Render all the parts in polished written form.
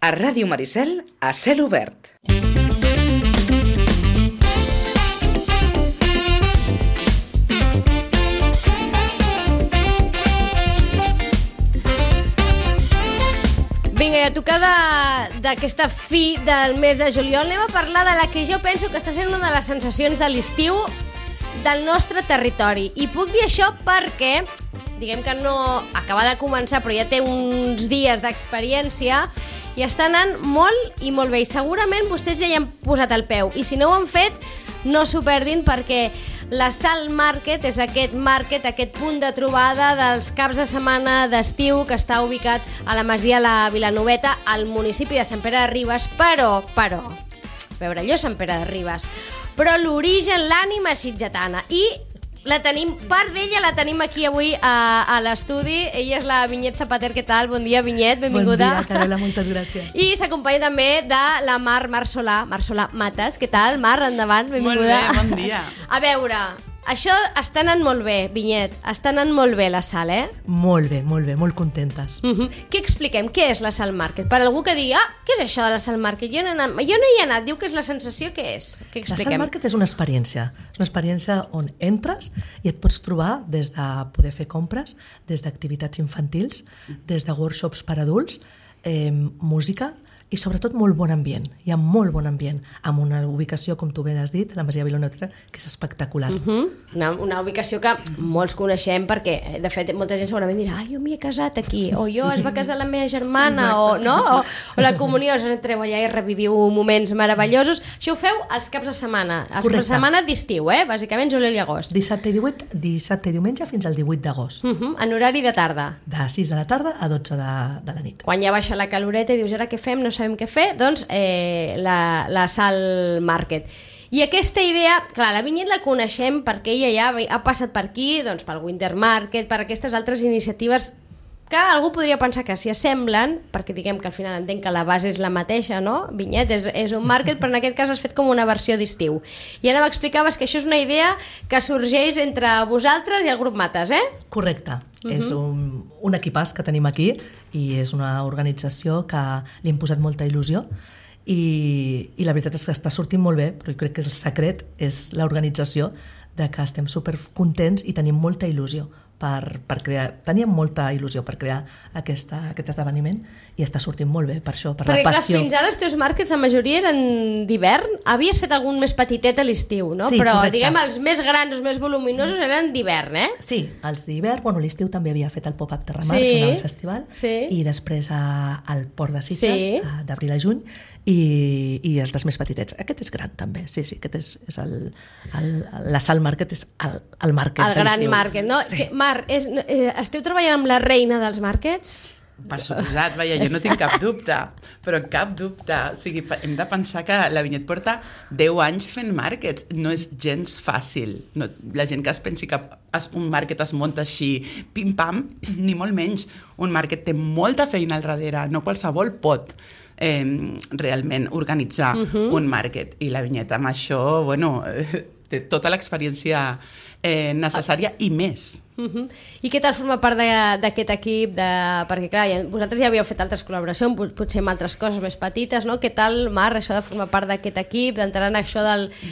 A Ràdio Maricel, a cel obert. Vinga, i a tocar d'aquesta fi del mes de juliol anem a parlar de la que jo penso que està sent una de les sensacions de l'estiu del nostre territori. I puc dir això perquè, diguem que no acaba de començar, però ja té uns dies d'experiència i està anant molt i molt bé. I segurament vostès ja hi han posat el peu. I si no ho han fet, no s'ho perdin, perquè la Salt Market és aquest market, aquest punt de trobada dels caps de setmana d'estiu que està ubicat a la Masia La Vilanoveta, al municipi de Sant Pere de Ribes, però, a veure, allò és Sant Pere de Ribes, però l'origen, l'ànima és sitgetana. I la tenim, part d'ella la tenim aquí avui a l'estudi. Ella és la Vinyet Zapater. Què tal? Bon dia, Vinyet, benvinguda. Bon dia, Carola, moltes gràcies. I s'acompanya també de la Mar Solà Mates. Què tal, Mar? Endavant, benvinguda. Molt bé, bon dia. A veure, això està anant molt bé, Vinyet. Està anant molt bé la Salt, eh? Molt bé, molt contentes. Què expliquem? Què és la Salt Market? Per algú que digui, què és això de la Salt Market? Jo no hi he anat. Diu que és la sensació, què és? Què expliquem? La Salt Market és una experiència. És una experiència on entres i et pots trobar des de poder fer compres, des d'activitats infantils, des de workshops per adults, música i sobretot molt bon ambient. Hi ha molt bon ambient, amb una ubicació, com tu ben has dit, la Masia Vilanoveta, que és espectacular. Una ubicació que molts coneixem perquè, de fet, molta gent segurament dirà jo m'hi he casat aquí, o jo es va casar la meva germana, o la comunió, entreu allà i reviviu moments meravellosos. Això ho feu els caps de setmana, els caps de setmana d'estiu, bàsicament juliol i agost. Dissabte i diumenge fins al 18 d'agost. En horari de tarda. De 6 de la tarda a 12 de la nit. Quan ja baixa la caloreta i dius, ara què fem? No sabem què fer, doncs la Salt Market. I aquesta idea, clar, la Vinyet la coneixem perquè ella ja ha passat per aquí, doncs pel Winter Market, per aquestes altres iniciatives que algú podria pensar que s'hi assemblen, perquè diguem que al final entenc que la base és la mateixa, no? Vinyet és un market, però en aquest cas has fet com una versió d'estiu. I ara m'explicaves que això és una idea que sorgeix entre vosaltres i el grup Mates, eh? Correcte. És un equipàs que tenim aquí i és una organització que li hem posat molta il·lusió i la veritat és que està sortint molt bé, però jo crec que el secret és l'organització, de que estem supercontents i tenim molta il·lusió per crear, teníem molta il·lusió per crear aquest esdeveniment i està sortint molt bé per això, per la passió. Perquè fins ara els teus markets la majoria eren d'hivern, havies fet algun més petitet a l'estiu, no? Sí, però correcte. diguem els més grans, els més voluminosos eren d'hivern, eh? Sí, els d'hivern, l'estiu també havia fet el Pop-Up Terramar, el festival, i després al Port de Sitges, d'abril a juny, i els dels més petitets. Aquest és gran també, sí, aquest és la Salt Market, és el market de l'estiu. El gran market, no? Sí. Mar, esteu treballant amb la reina dels markets? Per suposat, jo no tinc cap dubte, però cap dubte. O sigui, hem de pensar que la Vinyet porta 10 anys fent markets. No és gens fàcil. No, la gent que es pensi que un market es munta així, pim-pam, ni molt menys. Un market té molta feina al darrere, no qualsevol pot realment organitzar un market. I la Vinyet amb això, té tota l'experiència necessària i més. I què tal formar part d'aquest equip? Perquè clar, vosaltres ja havíeu fet altres col·laboracions, potser amb altres coses més petites, no? Què tal, Mar, això de formar part d'aquest equip, d'entrar en això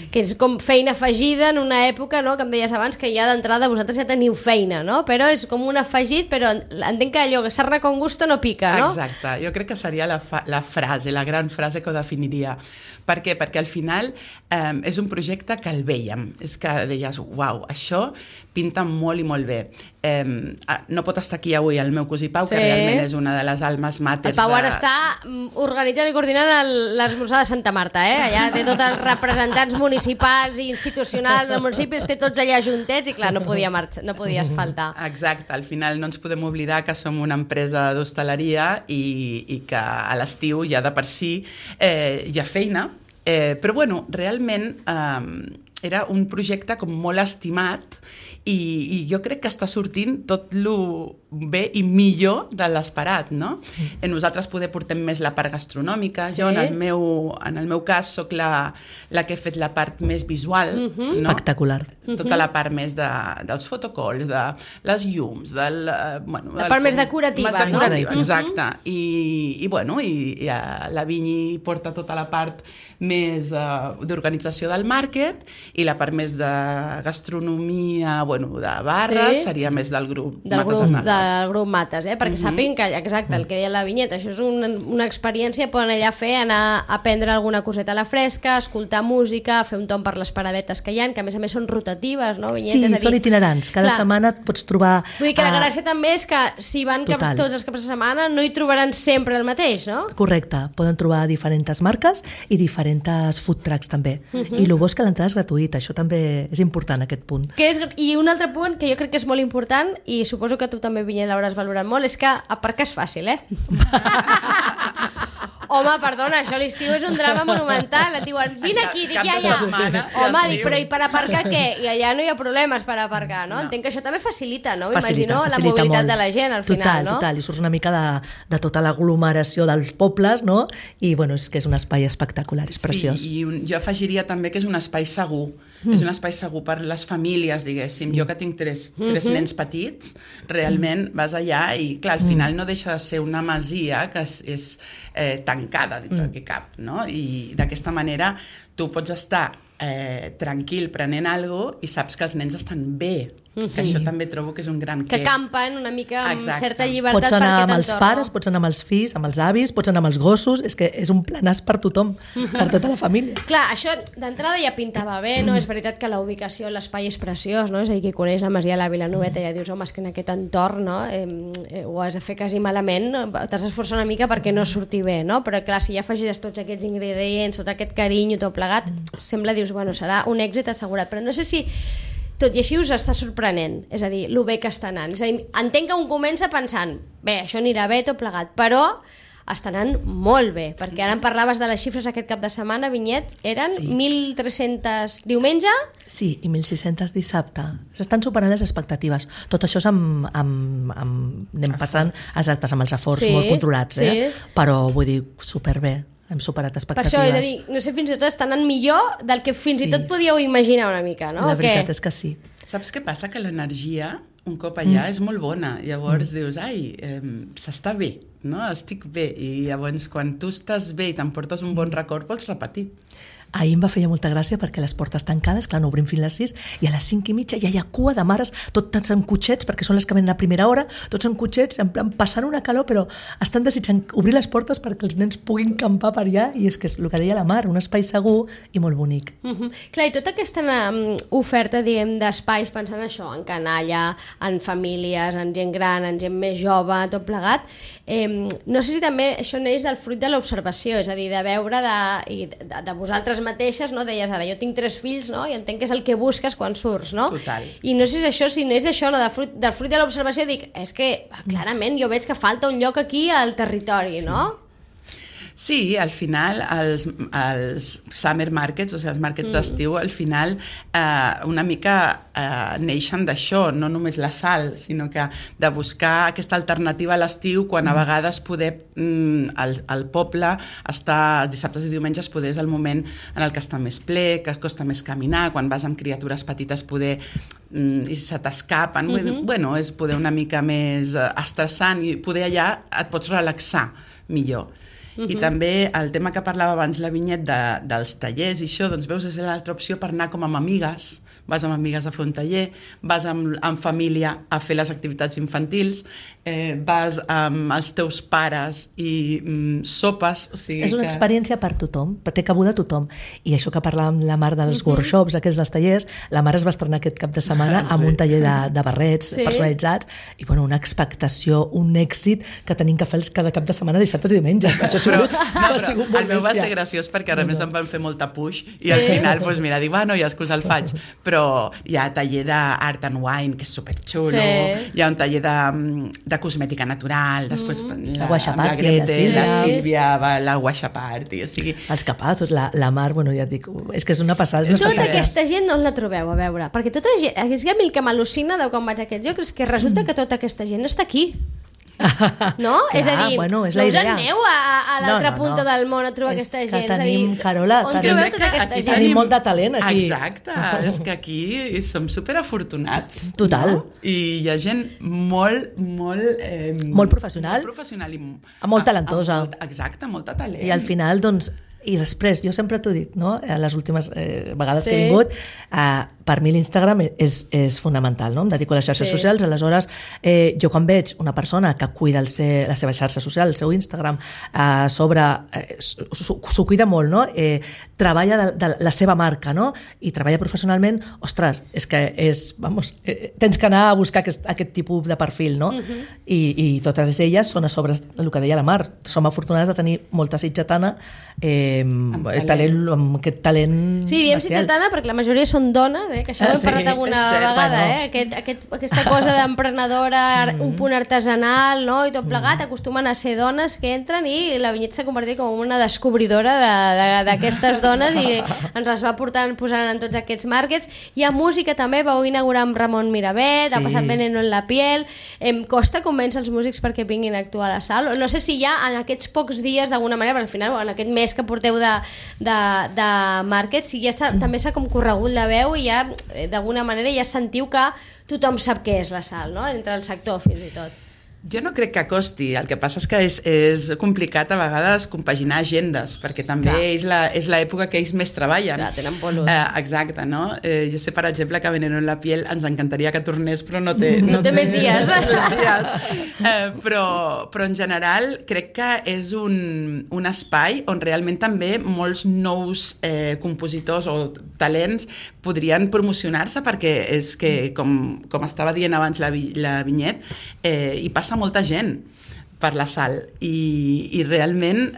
que és com feina afegida en una època, no? Que em deies abans que ja d'entrada vosaltres ja teniu feina, no? Però és com un afegit, però entenc que allò que sarna con gusto no pica, no? Exacte, jo crec que seria la frase, la gran frase que ho definiria. Per què? Perquè al final és un projecte que el vèiem, és que deies, uau, això pinta molt i molt bé. No pot estar aquí avui el meu cosí Pau, que realment és una de les almes màters. El Pau ara està organitzant i coordinant l'esmorzar de Santa Marta, allà té tots els representants municipals i institucionals del municipi, té tots allà juntets i clar, no podies faltar. Exacte, al final no ens podem oblidar que som una empresa d'hostaleria i que a l'estiu ja de per si hi ha feina, però realment era un projecte com molt estimat i jo crec que està sortint tot bé i millor de l'esperat, no? Nosaltres poder portem més la part gastronòmica. Jo, en el meu cas, sóc la que he fet la part més visual. No? Espectacular. Tota la part més dels fotocalls, de les llums, la part més decorativa, no? Exacte. I la Vinyi porta tota la part més d'organització del màrquet i la part més de gastronomia, de barres, seria més del grup del grup Mates, perquè sàpiguen que, exacte, el que deia la Vinyet, això és una experiència, poden allà fer, anar a prendre alguna coseta a la fresca, escoltar música, fer un tomb per les paradetes que hi ha, que a més són rotatives, no, Vinyet? Sí, són itinerants, cada setmana et pots trobar... Vull dir que la gràcia també és que si van tots els caps de setmana no hi trobaran sempre el mateix, no? Correcte, poden trobar diferents marques i diferents food trucks també, i el bo és que l'entrada és gratuïta, això també és important, aquest punt. I un altre punt que jo crec que és molt important, i suposo que tu també, Vinyet, l'hauràs valorat molt, és que aparcar és fàcil, Home, perdona, això a l'estiu és un drama monumental. Et diuen, vine aquí, dic, ja. Home, dic, però i per aparcar què? I allà no hi ha problemes per aparcar, no? Entenc que això també facilita, no? M'imagino la mobilitat de la gent al final, no? Total, i surts una mica de tota l'aglomeració dels pobles, no? I, és que és un espai espectacular, és preciós. Sí, i jo afegiria també que és un espai segur. És un espai segur per les famílies, diguéssim. Jo que tinc tres nens petits, realment vas allà i, clar, al final no deixa de ser una masia que és tancada dintre del que cap, no? I d'aquesta manera tu pots estar tranquil prenent alguna cosa i saps que els nens estan bé. Que això també trobo que és un gran que campen una mica amb certa llibertat. Pots anar amb els pares, pots anar amb els fills, amb els avis, pots anar amb els gossos, és que és un planàs per tothom, per tota la família. Clar, això d'entrada ja pintava bé, no? És veritat que la ubicació, l'espai és preciós, no? És a dir, qui coneix la Masia de la Vilanoveta ja dius, home, és que en aquest entorn, no? Ho has de fer quasi malament, t'has d'esforçar una mica perquè no surti bé, no? Però clar, si ja afegis tots aquests ingredients, tot aquest carinyo, tot plegat, sembla, dius, serà un èxit assegurat, però no sé si tot i així us està sorprenent, és a dir, lo bé que està anant. És a dir, entenc que un comença pensant, bé, això anirà bé, tot plegat, però està anant molt bé, perquè ara em parlaves de les xifres aquest cap de setmana, Vinyet, eren 1.300 diumenge? Sí, i 1.600 dissabte. S'estan superant les expectatives. Tot això és anem passant amb els aforts molt controlats, però vull dir, superbé. Hem superat expectatives. Per això, és a dir, no sé, fins i tot estan anant millor del que fins i tot podíeu imaginar una mica, no? La veritat és que sí. Saps què passa? Que l'energia, un cop allà, és molt bona. Llavors dius, s'està bé, no? Estic bé. I llavors, quan tu estàs bé i t'emportes un bon record, vols repetir. Ahir em va fer molta gràcia perquè les portes tancades, clar, no obrim fins a les 6, i a les 5:30 ja hi ha cua de mares, tots en cotxets, perquè són les que venen a primera hora, tots en cotxets, en plan, passant una calor, però estan desitjant obrir les portes perquè els nens puguin campar per allà, i és que és el que deia la Mar, un espai segur i molt bonic. Clar, i tota aquesta oferta, diguem, d'espais, pensant això, en canalla, en famílies, en gent gran, en gent més jove, tot plegat, no sé si també això neix del fruit de l'observació, és a dir, de veure de vosaltres mateixes, no? Deies ara, jo tinc 3 fills, no? I entenc que és el que busques quan surts, no? Total. I no sé si això, si n'és d'això, no? Del fruit de l'observació, dic, és que clarament jo veig que falta un lloc aquí al territori, no? Sí, al final els summer markets, o sigui, els markets d'estiu, al final una mica neixen d'això, no només la sal, sinó que de buscar aquesta alternativa a l'estiu, quan a vegades poder al poble estar dissabtes i diumenges poder és el moment en el que està més ple, que costa més caminar, quan vas amb criatures petites poder i se t'escapen, és poder una mica més estressant i poder allà et pots relaxar millor. I també el tema que parlava abans la Vinyet dels tallers i això, doncs veus, és l'altra opció per anar com amb amigues, vas amb amigues a fer un taller, vas amb família a fer les activitats infantils, vas amb els teus pares i sopes, o sigui és una experiència per tothom, té cabuda tothom, i això que parlàvem la Mar dels workshops, aquests dels tallers, la Mar es va estrenar aquest cap de setmana amb un taller de barrets personalitzats, i una expectació, un èxit que tenim que fer cada cap de setmana, dissabtes i diumenges. Això ha sigut molt el meu va ser graciós perquè a més em van fer molta puix i al final, mira, dic, noies, que us el faig, però però hi ha taller d'art and wine, que és superxulo, hi ha un taller de cosmètica natural, després la Grete, la Sílvia, la Washa Party, o sigui... Els capazos, la Mar, bueno, ja et dic, és que és una passada. Tota aquesta gent no la trobeu, a veure, perquè tota gent, és que a mi el que m'al·lucina de quan vaig a aquest lloc és que resulta que tota aquesta gent està aquí. No? És a dir, bueno, és no us idea. aneu a l'altra punta del món a trobar aquesta gent. És que tenim, Carola, on trobeu tota aquesta gent? Tenim molt de talent aquí. Exacte, és que aquí som superafortunats. Total. No? I hi ha gent molt professional. Molt professional i molt talentosa. Exacte, molta talent. I al final, doncs, i després, jo sempre t'ho dic, no? Les últimes vegades que he vingut, per mi l'Instagram és fonamental, no? Em dedico a les xarxes socials, aleshores jo quan veig una persona que cuida la seva xarxa social, el seu Instagram, s'ho cuida molt, no? Treballa de la seva marca, no? I treballa professionalment, ostres, és que tens que anar a buscar aquest tipus de perfil, no? I totes elles són a sobre el que deia la Mar, som afortunades de tenir molta sitgetana amb aquest talent sí, diem sitgetana perquè la majoria són dones, que això ho hem parlat alguna vegada, aquesta cosa d'emprenedora, un punt artesanal, no? I tot plegat, acostumen a ser dones que entren i la Vinyet s'ha convertit com una descobridora d'aquestes dones i ens les va posant en tots aquests markets. Hi ha música també, vau inaugurar amb Ramon Miravet, ha passat Veneno en la piel. Costa convèncer els músics perquè vinguin a actuar a la sala? No sé si ja en aquests pocs dies d'alguna manera, perquè al final en aquest mes que porteu de market, si ja també s'ha com corregut la veu i ja d'alguna manera ja sentiu que tothom sap què és la sal, no? Entre el sector fins i tot. Jo no crec que costi, el que passa és que és complicat a vegades compaginar agendes, perquè també és l'època que ells més treballen. Clar, tenen bolos. Exacte, no? Jo sé, per exemple, que Veneno en la piel ens encantaria que tornés, però no té més dies. Però en general crec que és un espai on realment també molts nous compositors o talents podrien promocionar-se, perquè és que, com estava dient abans la Vinyet, hi passa molta gent per la sal i realment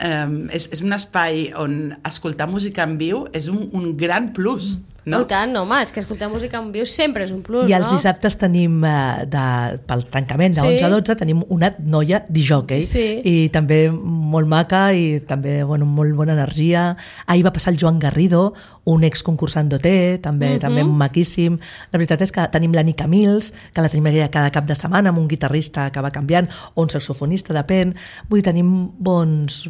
és un espai on escoltar música en viu és un gran plus. No? Tant, home, és que escoltar música en viu sempre és un plus, I els dissabtes tenim, pel tancament de 11 a 12, tenim una noia disjockey, i també molt maca i també molt bona energia. Ahir va passar el Joan Garrido, un exconcursant d'OT, també maquíssim. La veritat és que tenim l'Anni Camils, que la tenim cada cap de setmana, amb un guitarrista que va canviant, o un saxofonista, depèn. Vull dir, tenim bons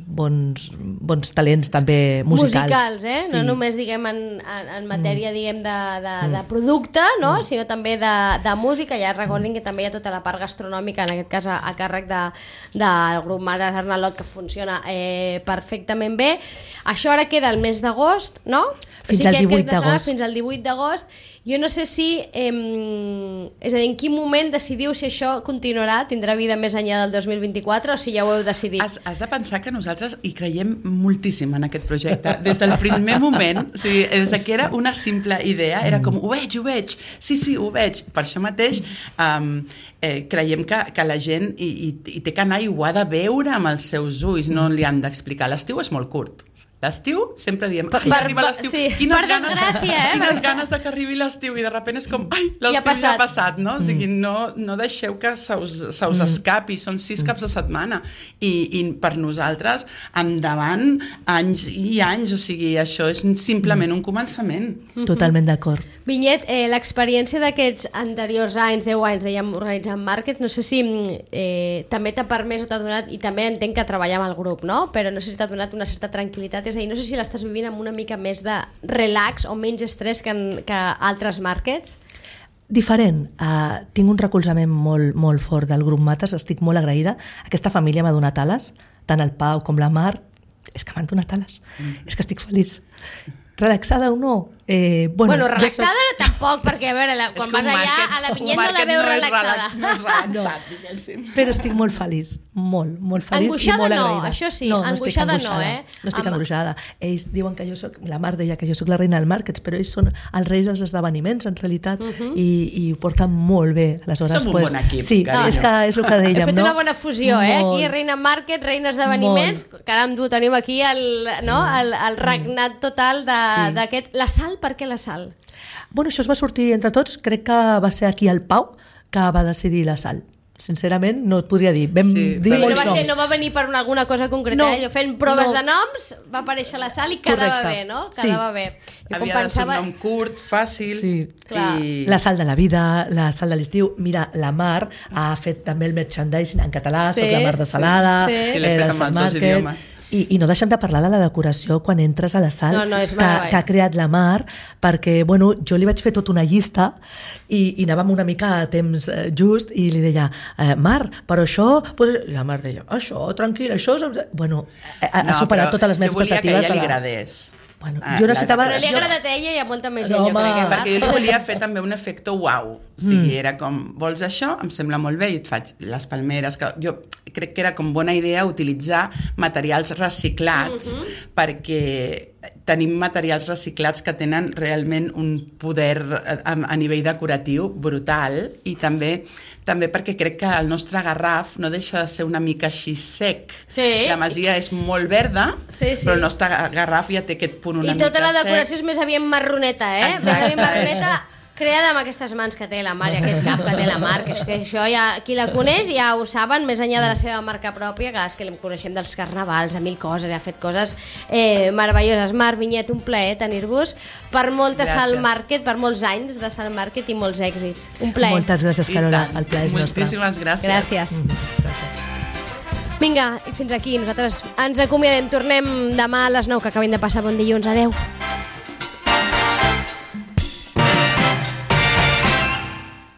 talents també musicals. No només diguem en matèria diguem de producte, no? Sinó també de música. Ja recordin que també hi ha tota la part gastronòmica, en aquest cas a càrrec del grup Mares Arnalot, que funciona perfectament bé. Això ara queda el mes d'agost, no? Fins al 18 d'agost. Fins al 18 d'agost. Jo no sé si, és a dir, en quin moment decidiu si això continuarà, tindrà vida més enllà del 2024 o si ja ho heu decidit? Has de pensar que nosaltres hi creiem moltíssim en aquest projecte. Des del primer moment, o sigui, des que era una simple idea, era com, ho veig, sí, ho veig. Per això mateix creiem que la gent hi té que anar i ho ha de veure amb els seus ulls, no li han d'explicar. L'estiu és molt curt. L'estiu, sempre diem, arriba l'estiu, quines ganes que arribi l'estiu, i de sobte és com, l'estiu ja ha passat, no? O sigui, no deixeu que se us escapi, són 6 caps de setmana, i per nosaltres, endavant, anys i anys, o sigui, això és simplement un començament. Totalment d'acord. Vinyet, l'experiència d'aquests anteriors anys, 10 anys, dèiem, organitzant market, no sé si també t'ha permès o t'ha donat, i també entenc que treballar amb el grup, no? Però no sé si t'ha donat una certa tranquil·litat, és a dir, no sé si l'estàs vivint amb una mica més de relax o menys estrès que altres markets? Diferent. Tinc un recolzament molt fort del grup Mates, estic molt agraïda. Aquesta família m'ha donat ales, tant el Pau com la Mar, és que m'han donat ales. És que estic feliç. Relaxada o no? Bueno, relaxada tampoc, perquè a veure, quan vas allà a la Vinyet no la veus relaxada. No és relaxat, diguéssim. Però estic molt feliç, molt feliç angoixada i molt agraïda. Això sí, angoixada no, No estic angoixada. Ells diuen que jo soc, la Mar deia que jo soc la reina del markets, però ells són els reis dels esdeveniments, en realitat, i ho porten molt bé. Aleshores, som un bon equip, sí, és és el que dèiem, no? He fet una bona fusió, aquí reina market, reina esdeveniments, caram, tenim aquí el regnat total de d'aquest... La sal, per què la sal? Bueno, això es va sortir entre tots, crec que va ser aquí el Pau que va decidir la sal. Sincerament, no et podria dir. Vam dir molts noms. No va venir per alguna cosa concreta, jo fent proves de noms, va aparèixer la sal i quedava bé, no? Quedava bé. Havia de ser un nom curt, fàcil. Sí. La sal de la vida, la sal de l'estiu. Mira, la Mar ha fet també el merchandising en català, Soc la Mar de Salada, l'he fet amb els dos idiomes. I no deixem de parlar de la decoració quan entres a la sal que ha creat la Mar, perquè bueno, jo li vaig fer tota una llista i anàvem una mica a temps just i li deia, Mar, però això... I la Mar deia, això, tranquil, això... Bueno, ha superat totes les meves expectatives. Jo volia que ella li agradés. Bueno, jo necessitava... Però li ha agradat a ella i a molta més gent, jo crec. Perquè jo li volia fer també un efecte uau. O sigui, era com, vols això? Em sembla molt bé i et faig les palmeres. Jo crec que era com bona idea utilitzar materials reciclats perquè tenim materials reciclats que tenen realment un poder a nivell decoratiu brutal i també perquè crec que el nostre garraf no deixa de ser una mica així sec. La masia és molt verda, però el nostre garraf ja té aquest punt una mica sec. I tota la decoració és més aviat marroneta, Més aviat marroneta, creada amb aquestes mans que té la Mar i aquest cap que té la Mar, que és que això ja, qui la coneix ja ho saben, més enllà de la seva marca pròpia, clar, és que la coneixem dels carnavals, de mil coses, ha fet coses meravelloses. Mar, Vinyet, un plaer tenir-vos per molta Sal Market, per molts anys de Sal Market i molts èxits. Un plaer. Moltes gràcies, Carola, el plaer és nostre. Moltíssimes gràcies. Gràcies. Vinga, i fins aquí, nosaltres ens acomiadem, tornem demà a les 9, que acabem de passar bon dilluns, adeu.